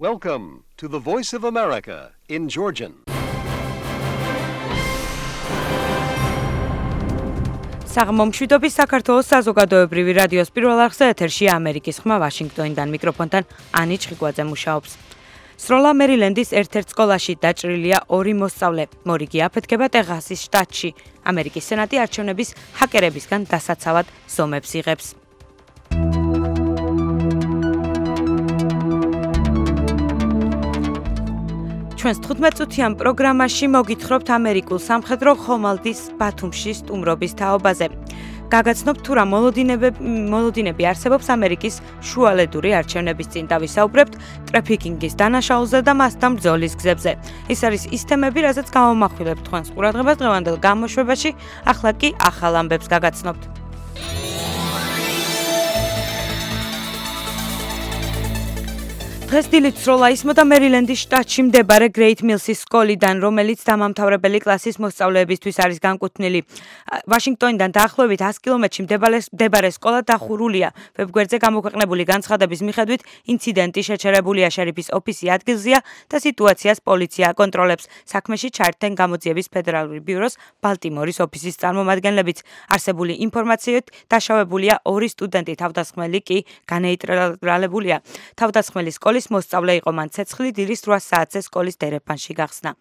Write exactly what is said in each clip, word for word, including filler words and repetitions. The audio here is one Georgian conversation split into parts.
Welcome to the Voice of America in Georgian. საღმომშვიდობის საქართველოს საზოგადოებრივი რადიოს პირველ არხზე ეთერშია ამერიკის ხმა ვაშინგტონიდან მიკროფონთან ანი ჩხიკვაძე მუშაობს. სროლა მერილენდის ერთ-ერთ სკოლაში დაჭრილია ორი მოსწავლე. მორიგი აფეთქება ტეხასის შტატში. ამერიკის სენატი არჩევნების ჰაკერებისგან დასაცავად ზომებს იღებს. ჩვენს თხუთმეტ-წუთიან პროგრამაში მოგითხრობთ ამერიკულ სამხედრო ხომალდის ბათუმში სტუმრობის თაობაზე. გაგაცნობთ თუ რა მოლოდინები არსებობს ამერიკის შუალედური არჩევნების წინ დავისაუბრებთ ტრაფიკინგის დანაშაულზე და მასთან ბრძოლის გზებზე. ეს არის ის თემები, რაზეც გამოვმახვილებთ თქვენს ყურადღებას დღევანდელ გამოშვებაში, ახლა კი ახალ ამბებს გაგაცნობთ. დღეს დილით სროლა ისმოდა მერილენდის შტატში მდებარე გრეით მილსის სკოლიდან, რომელიც დამამთავრებელი კლასის მოსწავლეებისთვის არის განკუთვნილი. ვაშინგტონიდან დაახლოებით ას კილომეტრში მდებარე სკოლა დახურულია. ვებგვერდზე გამოქვეყნებული განცხადების მიხედვით, ინციდენტი შეჩერებულია შერიფის ოფისი ადგილზეა და სიტუაციას პოლიცია აკონტროლებს. საქმეში ჩაერთენ გამოძიების ფედერალური ბიუროს ბალტიმორის ოფისის წარმომადგენლებიც. არსებული ინფორმაციით დაშავებულია ორი სტუდენტი, თავდასხმელი კი განეიტრალებულია. თავდასხმელი სკოლის მოსწავლე იყო, მან ცეცხლი დილის რვა საათზე სკოლის დერეფანში გახსნა.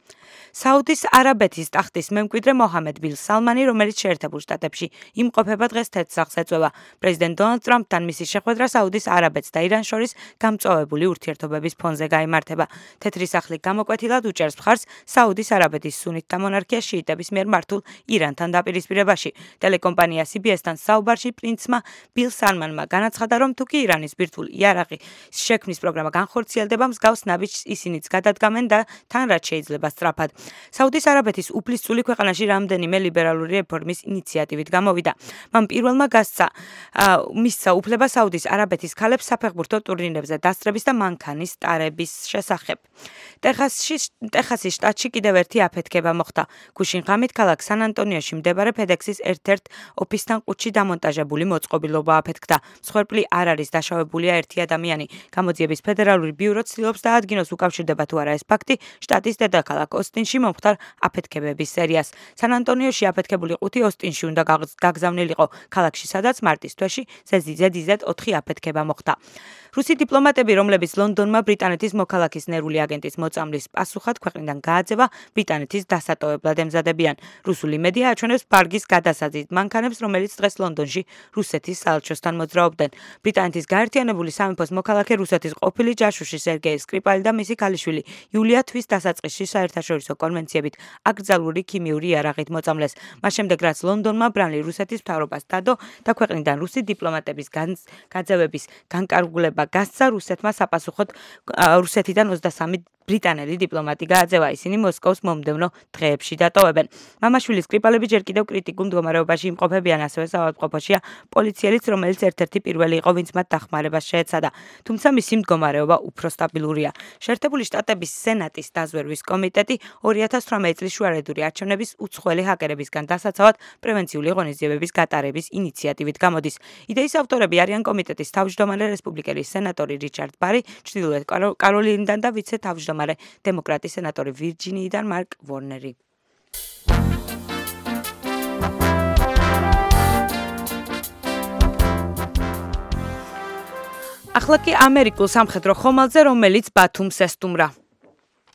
საუდის არაბეთის ტახტის მემკვიდრე მოჰამედ ბილ სალმანი, რომელიც შეერთებულ შტატებში იმყოფება, დღეს თეთრსახს ეწვევა. პრეზიდენტ დონალდ ტრამპთან მისი შეხვედრა საუდის არაბეთს და ირანს შორის გამწვავებული ურთიერთობების ფონზე გაიმართება. თეთრი სახლი გამოკვეთილად უჭერს მხარს საუდის არაბეთის სუნიტთა მონარქიას შიიტების მიერ მართულ ირანთან დაპირისპირებაში. ტელეკომპანია სი ბი ეს-თან საუბარში პრინცმა ბილ სალმანმა განაცხადა, რომ თუ კი ირანის ბირთვულ იარაღი შექმნის პროგრამა განხორციელდება, მსგავს ნაბიჯს ისინიც გადადგამენ და თან რაც შეიძლება სწრაფად. საუდის არაბეთის უფლისწული ქვეყანაში რამდენიმე ლიბერალური რეფორმის ინიციატივით გამოვიდა. მან პირველმა გასცა მისცა უფლება საუდის არაბეთის ქალებს საფეხბურთო ტურნირებზე დასწრების და მანქანის ტარების შესახებ. ტეხასის შტატში კიდევ ერთი აფეთქება მოხდა. გუშინ ღამით ქალაქ სან-ანტონიოში მდებარე ფედექსის ერთ-ერთ ოფისთან ყუთში დამონტაჟებული მოწყობილობა აფეთქდა. მსხვერპლი არ არის, დაშავებულია ერთი ადამიანი. გამოძიების ფედერალური ბიურო ცდილობს დაადგინოს უკავშირდება თუ არა ეს ფაქტი შტატის დედაქალაქ ოსტინში მომხდარ აფეთქებების სერიას. სან-ანტონიოში აფეთქებული ყუთი ოსტინში უნდა გაგზავნილიყო, ქალაქში, სადაც მარტის თვეში ზედიზედ ოთხი აფეთქება მოხდა. რუსი დიპლომატები, რომლებიც ლონდონმა ბრიტანეთის მოქალაქის ნერვული აგენტის მოწამვლის პასუხად ქვეყნიდან გააძევა, ბრიტანეთის დასატოვებლად ემზადებიან. რუსული მედია აჩვენებს ბარგის გადასაზიდ მანქანებს, რომელიც დღეს ლონდონში რუსეთის საელჩოსთან მოძრაობდნენ. ბრიტანეთის გაერთიანებული სამეფოს მოქალაქე რუსეთის ყოფილი ჯაშუში სერგეი სკრიპალი და მისი ქალიშვილი იულია თვის დასაწყისში საერთაშორისო კონვენციებით აკრძალული ქიმიური იარაღით მოწამლეს. მას შემდეგ რაც ლონდონმა ბრალი რუსეთის მთავრობას დადო და ქვეყნიდან რუსი დიპლომატების გაძევების განკარგულება გასცა, რუსეთმა საპასუხოდ რუსეთიდან ოცდასამი ბრიტანელი დიპლომატი გააძევა, ისინი მოსკოვს მომდევნო დღეებში დატოვებენ. მამაშვილის სკრიპალები ჯერ კიდევ კრიტიკულ მდგომარეობაში იმყოფებიან, ასევე საავადმყოფოშია პოლიციელიც, რომელიც ერთ-ერთი პირველი იყო, ვინც მათ დახმარებას შეეცადა. თუმცა მისი მდგომარეობა უფრო სტაბილურია. შეერთებული შტატების სენატის დაზვერვის კომიტეტი ორი ათას თვრამეტი წლის შუალედური არჩევნების უცხოელი ჰაკერებისგან დასაცავად პრევენციული ღონისძიებების გატარების ინიციატივით გამოდის. იდეის ავტორები არიან კომიტეტის თავმჯდომარე რესპუბლიკელი სენატორი რიჩარდ ბარი, ჩრდილოეთ კაროლინიდან და ვიცე-თავმჯდომარე დემოკრატი სენატორი ვირჯინიიდან მარკ ვორნერი. ახლა კი ამერიკულ სამხედრო ხომალდზე, რომელიც ბათუმს ესტუმრა.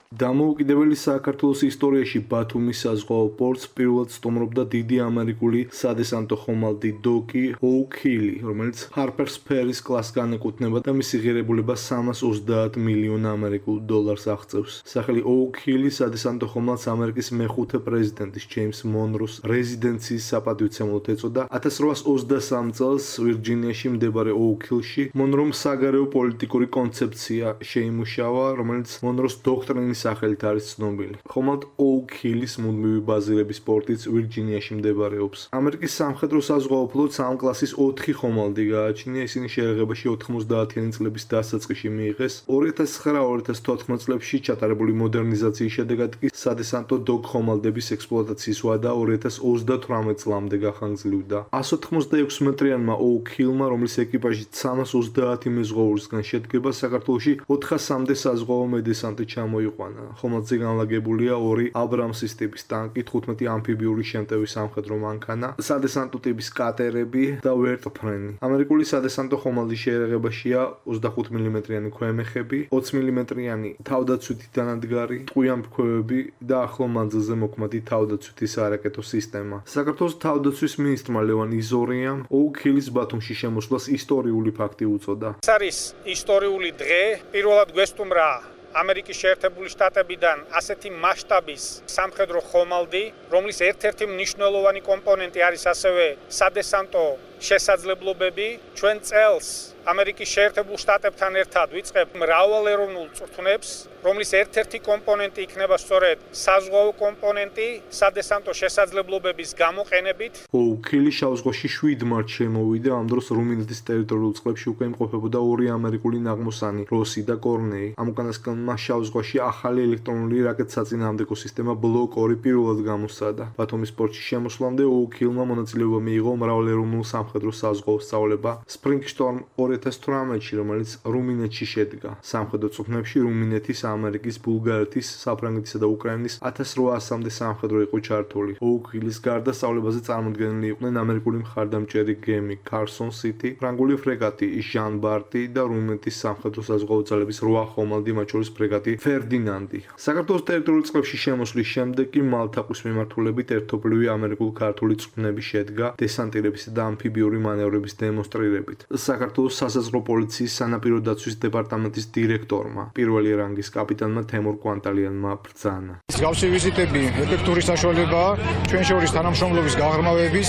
დამოუკიდებელი საქართველოს ისტორიაში ბათუმის საზღვაო პორტს პირველად სტუმრობდა დიდი ამერიკული სადესანტო ხომალდი დოკი ოუქ-ჰილი, რომელიც ჰარპერს ფერის კლასს განეკუთვნება და მისი ღირებულება სამას ოცდაათ მილიონ ამერიკულ დოლარს აღწევს. სახელი ოუქ-ჰილი სადესანტო ხომალდს ამერიკის მეხუთე პრეზიდენტის ჯეიმს მონროს რეზიდენციის საპატივცემლოდ ეწოდა. ათას რვაას ოცდასამი წელს ვირჯინიაში მდებარე ოუქ-ჰილში მონრომ საგარეო პოლიტიკური კონცეფცია შეიმუშავა, რომელიც მონროს დოქტრინის მამის სახელით არის ცნობილი. ხომალდ ოუქ ჰილის მუდმივი ბაზირების პორტიც ვირჯინიაში მდებარეობს. ამერიკის სამხედრო საზღვაო ფლოტს ამ კლასის ოთხი ხომალდი გააჩნია, ისინი შეერაღებაში ოთხმოცდაათიანი წლების დასაწყისში მიიღეს. ორი ათას ცხრა ორი ათას თოთხმეტ წლებში ჩატარებული მოდერნიზაციის შედეგად კი სადესანტო დოკ ხომალდების ექსპლუატაციის ვადა ორი ათას ოცდათვრამეტ წლამდე გახანგრძლივდა. εκατს ოთხმოცდაექვსი მეტრიანმა ოუქ ჰილმა, რომლის ეკიპაჟი სამას ოცდაათი მეზღვაურისგან შედგება, საქართველოში ოთხასამდე საზღვაო მედესანტი ჩამოიყვანა. ხომალდზე განლაგებულია ორი აბრამსის ტიპის ტანკი, თხუთმეტი ამფიბიური შემტევი სამხედრო მანქანა, სადესანტო ტიპის კატერები და ვერტფრენი. ამერიკული სადესანტო ხომალდის შეერაღებაშია ოცდახუთ მილიმეტრიანი ქვემეხები, ოცი მილიმეტრიანი თავდაცვითი დანადგარი, ტყვიამფრქვევები და ახლო მანძილზე მოქმედი თავდაცვითი სარაკეტო სისტემა. საქართველოს თავდაცვის მინისტრმა ლევან იზორიამ ოუქ ჰილის ბათუმში შემოსვლას ისტორიული ფაქტი უწოდა. ეს არის ისტორიული დღე, პირველად გვესტუმრა ამერიკის შეერთებული შტატებიდან ასეთი მასშტაბის სამხედრო ხომალდი, რომლის ერთ-ერთი მნიშვნელოვანი კომპონენტი არის ასევე სადესანტო შესაძლებლობები. ჩვენ წელს ამერიკის შეერთებულ შტატებთან ერთად ვიწყებ მრავალეროვნულ წვრთნებს, რომლის ერთ-ერთი კომპონენტი იქნება სწორედ საზღვაო კომპონენტი სადესანტო შესაძლებლობების გამოყენებით. ოუქ ჰილი შავ ზღვაში შვიდ მარტს შემოვიდა, ამ დროს რუმინეთის ტერიტორიულ წყლებში უკვე იმყოფებოდა ორი ამერიკული ნაღმოსანი, როსი და კორნეი. ამ უკანასკნელმა შავ ზღვაში ახალი ელექტრონული რაკეტსაწინააღმდეგო სისტემა ბლოკ ორი პირველად გამოსცადა. ბათუმის პორტში შემოსვლამდე ოუქ ჰილმა მონაწილეობა მიიღო მრავალეროვნულ სამხედრო საზღვაო სწავლება სპრინგშტორმ ორი ათას თვრამეტში, რომელიც რუმინეთში შედგა. სამხედრო წვრთნებში რუმინეთის, ამერიკის, ბულგარეთის, საფრანგეთისა და უკრაინის ათას რვაასამდე სამხედრო იყო ჩართული. ოუქ ჰილის გარდა სწავლებაზე წარმოდგენილი იყვნენ ამერიკული მხარდამჭერი გემი კარსონ სიტი, ფრანგული ფრეგატი ჟან ბარტი და რუმინეთის სამხედრო საზღვაო ძალების რვა ხომალდი, მათ შორის ფრეგატი ფერდინანდი. საქართველოს ტერიტორიულ წყლებში შემოსვლის შემდეგ კი მალთაყვის მიმართულებით ერთობლივი ამერიკულ-ქართული წვრთნები შედგა დესანტირებისა და ამფიბიური მანევრების დემონსტრირებით. საქართველოს სასაზღვრო პოლიციის სანაპირო დაცვის დეპარტამენტის დირექტორმა, პირველი რანგის კაპიტანმა თემურ კვანტალიანმა ბრძანა. მსგავსი ვიზიტები ეფექტური საშუალებაა ჩვენ შორის თანამშრომლობის გაღრმავების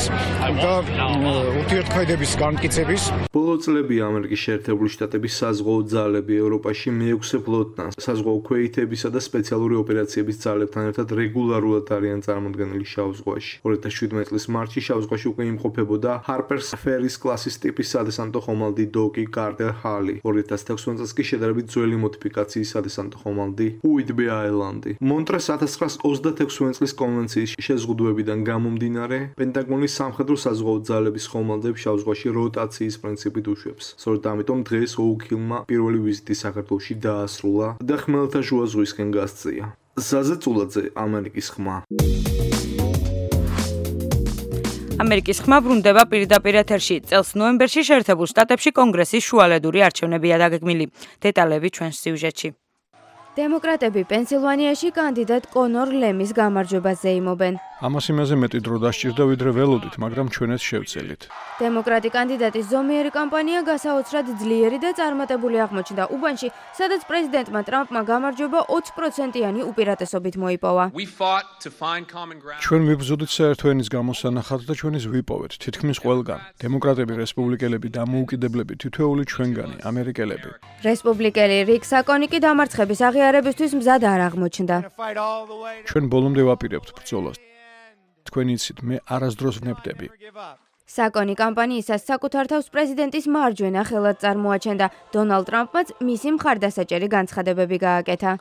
და ურთიერთქმედების განმტკიცების. ბოლო წლებია ამერიკის შეერთებული შტატების საზღვაო ძალები ევროპაში მეექვსე ფლოტთან, საზღვაო ქვეითებისა და სპეციალური ოპერაციების ძალებთან ერთად რეგულარულად არიან წარმოდგენილი შავ ზღვაში. ორი ათას შვიდმეტ წლის მარტში შავ ზღვაში უკვე იმყოფებოდა ჰარპერს ფერის კლასის ტიპის სადესანტო ხომალდი დოკი კარტერ ჰალი. ორი ათას თექვსმეტ წელს კი შედარებით ძველი მოდიფიკაციის სადესანტო ხომალდი უიტბი აილანდი. მონტრეს ათას ცხრაას ოცდათექვსმეტ წლის კონვენციის შეზღუდვებიდან გამომდინარე, პენტაგონის სამხედრო საზღვაო ძალების ხომალდებს შავ ზღვაში როტაციის პრინციპით უშვებს. სწორედ ამიტომ დღეს ოუქ ჰილმა პირველი ვიზიტი საქართველოში დაასრულა და ხმელთაშუა ზღვისკენ გასწია. ზაზე წულაძე, ამერიკის ხმა. ამერიკის ხმა ბრუნდება პირდაპირ ეთერში. წელს ნოემბერში შეერთებულ შტატებში კონგრესის შუალედური არჩევნებია დაგეგმილი. დეტალები ჩვენს სიუჟეტში. დემოკრატები პენსილვანიაში კანდიდატ კონორ ლემის გამარჯვებას ზეიმობენ. ამას იმაზე მეტი დრო დასჭირდა, ვიდრე ველოდით, მაგრამ ჩვენაც შევცელით. დემოკრატი კანდიდატის ზომიერი კამპანია გასაოცრად ძლიერი და წარმატებული აღმოჩნდა უბანში, სადაც პრეზიდენტმა ტრამპმა გამარჯვება ოცი პროცენტიანი უპირატესობით მოიპოვა. ჩვენ ვიბრძოდით საერთო ენის გამოსანახად და ჩვენის ვიპოვეთ, თითქმის ყველგან. დემოკრატები, რესპუბლიკელები, დამოუკიდებლები, თითოეული ჩვენგანი, ამერიკელები. რესპუბლიკელი რიკ საკონი კი დამარცხების აღიარებისთვის მზად არ აღმოჩნდა. ჩვენ ბოლომდე ვაპირებთ ბრძოლას. თქვენ იცით, მე არასდროს ვნებდები. საკონი კამპანიისას საკუთარ თავს პრეზიდენტის მარჯვენა ხელად წარმოაჩენდა. დონალდ ტრამპმაც მისი მხარდასაჭერი განცხადებები გააკეთა.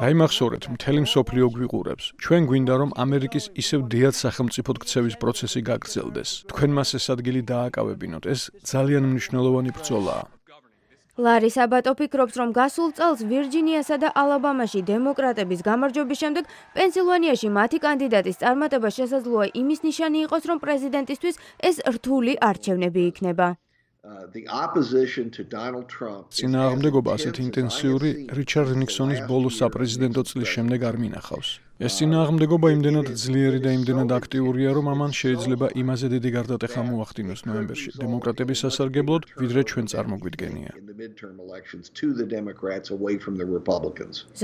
დაიმახსოვრეთ, მთელი მსოფლიო გვიყურებს. ჩვენ გვინდა, რომ ამერიკის ისევ დიად სახელმწიფოდ ქცევის პროცესი გაგრძელდეს. თქვენ მას ეს ადგილი დააკავებინოთ. ეს ძალიან მნიშვნელოვანი ბრძოლაა. ლარი საბატო ფიქრობს, რომ გასულ წელს ვირჯინიასა და ალაბამაში დემოკრატების გამარჯვების შემდეგ პენსილვანიაში მათი კანდიდატის წარმატება შესაძლოა იმის ნიშანი იყოს, რომ პრეზიდენტისთვის ეს რთული არჩევნები იქნება. წინააღმდეგობა ასეთი ინტენსიური რიჩარდ ნიქსონის ბოლო საპრეზიდენტო წლის შემდეგ არ მინახავს. ეს წინააღმდეგობა იმდენად ძლიერი და იმდენად აქტიურია, რომ ამან შეიძლება იმაზე დიდი გარდატეხა მოახდინოს ნოემბერში დემოკრატების სასარგებლოდ, ვიდრე ჩვენ წარმოგვიდგენია.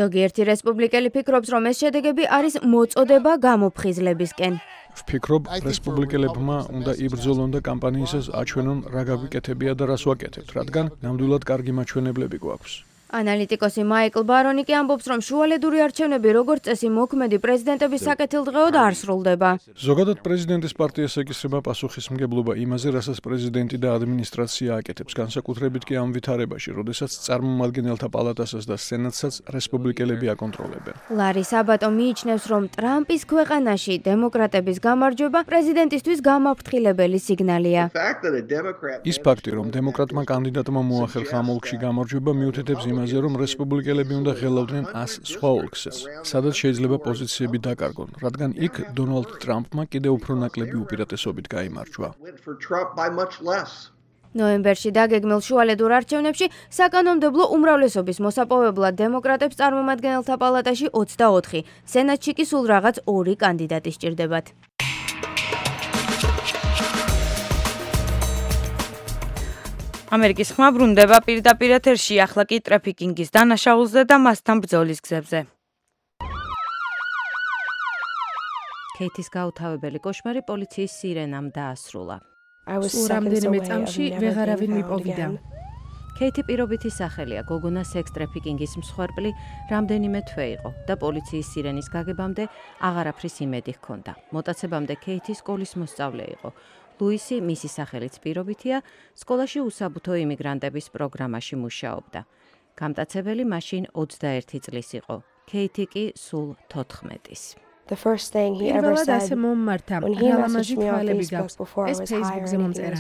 ზოგიერთი რესპუბლიკელი ფიქრობს, რომ ეს შედეგები არის მოწოდება გამოფხიზლებისკენ. ვფიქრობ, რესპუბლიკელებმა უნდა იბრძოლონ და კამპანიისას აჩვენონ, რა გაგვიკეთებია და რას ვაკეთებთ, რადგან ნამდვილად კარგი მაჩვენებლები გვაქვს. ანალიტიკოსი მაიკლ ბარონი კი ამბობს, რომ შუალედური არჩევნები როგორც წესი მოქმედი პრეზიდენტების საკეთილდღეოდ არ სრულდება. ზოგადად პრეზიდენტის პარტიას ეკისრება პასუხისმგებლობა იმაზე, რასაც პრეზიდენტი და ადმინისტრაცია აკეთებს, განსაკუთრებით კი ამ ვითარებაში, როდესაც წარმომადგენელთა პალატასაც და სენატსაც რესპუბლიკელები აკონტროლებენ. ლარი საბატო მიიჩნევს, რომ ტრამპის ქვეყანაში დემოკრატების გამარჯვება პრეზიდენტისთვის გამაფრთხილებელი სიგნალია. ის ფაქტი, რომ დემოკრატმა კანდიდატმა მოახერხა ამ ოლქში გამარჯვება, მიუთითებს იმაზე, რომ რესპუბლიკელები უნდა ღელავდნენ ას სხვა ოლქსაც, სადაც შეიძლება პოზიციები დაკარგონ, რადგან იქ დონალდ ტრამპმა კიდევ უფრო ნაკლები უპირატესობით გაიმარჯვა. ნოემბერში დაგეგმილ შუალედურ არჩევნებში საკანონმდებლო უმრავლესობის მოსაპოვებლად დემოკრატებს წარმომადგენელთა პალატაში ოცდაოთხი, სენატში კი სულ რაღაც ორი კანდიდატი სჭირდებათ. ამერიკის ხმა ბრუნდება პირდაპირ ეთერში, ახლა კი ტრაფიკინგის დანაშაულზე და მასთან ბრძოლის გზებზე. ქეითის გაუთავებელი კოშმარი პოლიციის სირენამ დაასრულა. სულ რამდენიმე წამში ვეღარავინ მიპოვიდა. ქეითი პირობითი სახელია, გოგონა სექს ტრაფიკინგის მსხვერპლი რამდენიმე თვე იყო და პოლიციის სირენის გაგებამდე აღარაფრის იმედი ჰქონდა. მოტაცებამდე ქეითი სკოლის მოსწავლე იყო. ლუისი, მისი სახელიც პირობითია, სკოლაში უსაბუთო იმიგრანტების პროგრამაში მუშაობდა. გამტაცებელი მაშინ ოცდაერთი წლის იყო, ქეითი კი სულ თოთხმეტის. პირველად ასე მომმართა, რალამაზი თვალები გაქვს, ეს ფეისბუქზე მომწერა.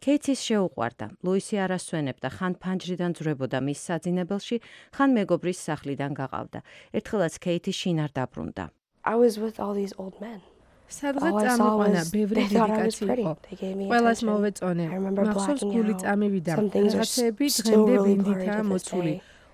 ქეითის შეუყვარდა, ლუისი არ ასვენებდა, ხან ფანჯრიდან ძვრებოდა მის საძინებელში, ხან მეგობრის სახლიდან გაყავდა. ერთხელაც ქეითი შინარ დაბრუნდა. სადღაც წამიყვანა, ბევრი დედიკაცი იყო. ყველას მოვეწონე. მახსოვს გული წამივიდა. რაღაცეები დღემდე ბინდითაა მოცული.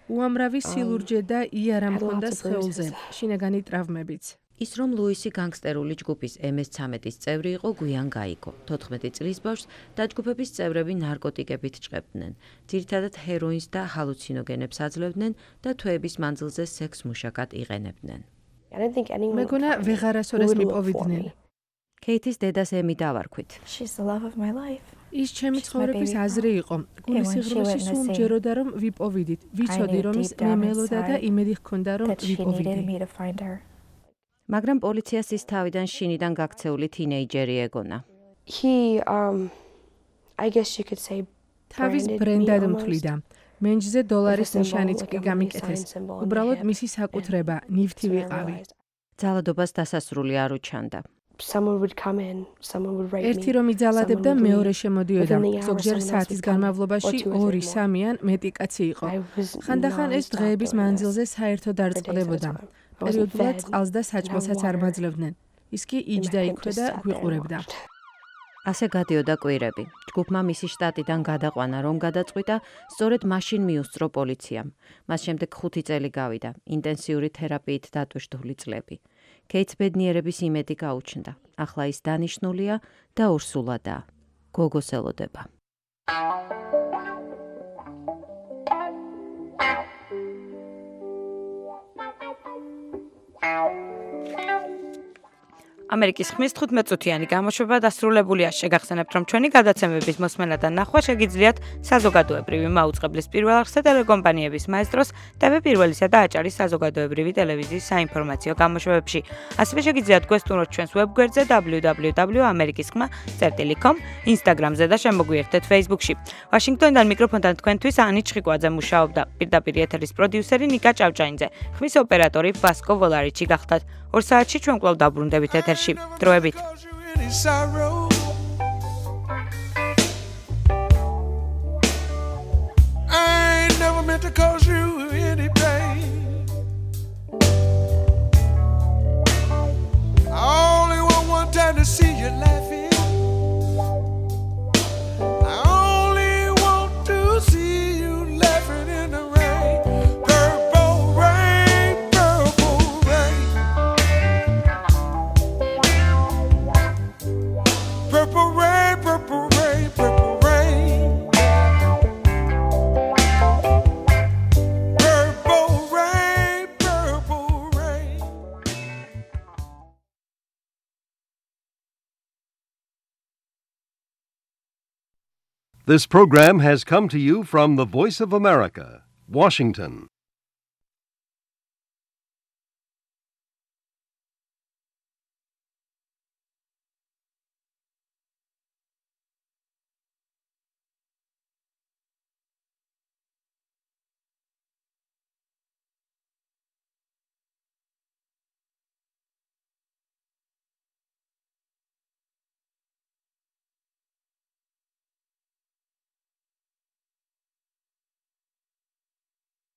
უამრავი სილურჯე და იარა მქონდა სხეულზე, შინაგანი ტრავმებიც. ის რომ ლუისი განგსტერული ჯგუფის ემ ეს ცამეტის წევრი იყო, გვიან გაიგო. თოთხმეტი წლის ბავშვს დაჯგუფების წევრები ნარკოტიკებით ჭყებდნენ. ძირითადად ჰეროინს და ჰალუცინოგენებს აძლევდნენ და თვეების მანძილზე სექს მუშაკად იყენებდნენ. მეგონა ვეღარასოდეს მიპოვიდნენ. ქეითის დედას ემი დავარქვით. ის ჩემი ცხოვრების აზრი იყო. გულისიღრმეში სულ მჯეროდა რომ ვიპოვიდით. ვიცოდი რომ ის მემელოდა და იმედი ჰქონდა რომ ვიპოვიდი. მაგრამ პოლიციას ის თავიდან შინიდან გაქცეული თინეიჯერი ეგონა. თავის ბრენდად მთვლიდა. მენჯზე დოლარის ნიშანიც კი გამიკეთეს. უბრალოდ მისი საკუთრება, ნივთი ვიყავი. ძალადობას დასასრული არ უჩანდა. ერთი რომ იძალადებდა, მეორე შემოდიოდა. ზოგჯერ საათის განმავლობაში ორი, სამი ან მეტი კაცი იყო. ხანდახან ეს დღეების მანძილზე საერთოდ არ წყდებოდა. პერიოდულად წყალს და საჭმელსაც არ მაძლევდნენ. ის კი იჯდა იქვე და გვიყურებდა. ასე გადიოდა კვირები. ჯგუფმა მისი შტატიდან გადაყვანა, რომ გადაწყვიტა, სწორედ მაშინ მიუსწრო პოლიციამ. მას შემდეგ ხუთი წელი გავიდა, ინტენსიური თერაპიით დატვირთული წლები. ქეითს ბედნიერების იმედი გაუჩნდა. ახლა ის დანიშნულია და ორსულადაა. გოგოს ელოდება. ამერიკის ხმის თხუთმეტწუთიანი გამოშვება დასრულებულია. შეგახსენებთ, რომ ჩვენი გადაცემების მოსმენა და ნახვა შეგიძლიათ საზოგადოებრივი მაუწყებლის პირველ არხზე ტელეკომპანიების მაესტროს, ტევ პირველისა და აჭარის საზოგადოებრივი ტელევიზიის საინფორმაციო გამოშვებებში. ასევე შეგიძლიათ გვესტუმროთ ჩვენს ვებგვერდზე დაბლიუ დაბლიუ დაბლიუ წერტილი ამერიკისხმა წერტილი კომ, ინსტაგრამზე და შემოგვიერთეთ ფეისბუქში. ვაშინგტონიდან მიკროფონთან თქვენთვის ანი ჩხიკვაძე მუშაობდა. პირდაპირ ეთერის პროდიუსერი ნიკა ჭავჭაინძე, ხმის ოპერატორი ბასკო ვოლარიჩი გახდათ. ორ საათში ჩვენ კვლავ დაბრუნდებით ეთერში. დროებით. To cause you any pain. I only want one time to see you laughing. I only want to see you laughing in the rain. Purple rain, purple rain. Purple rain, purple rain, purple rain. This program has come to you from the Voice of America, Washington.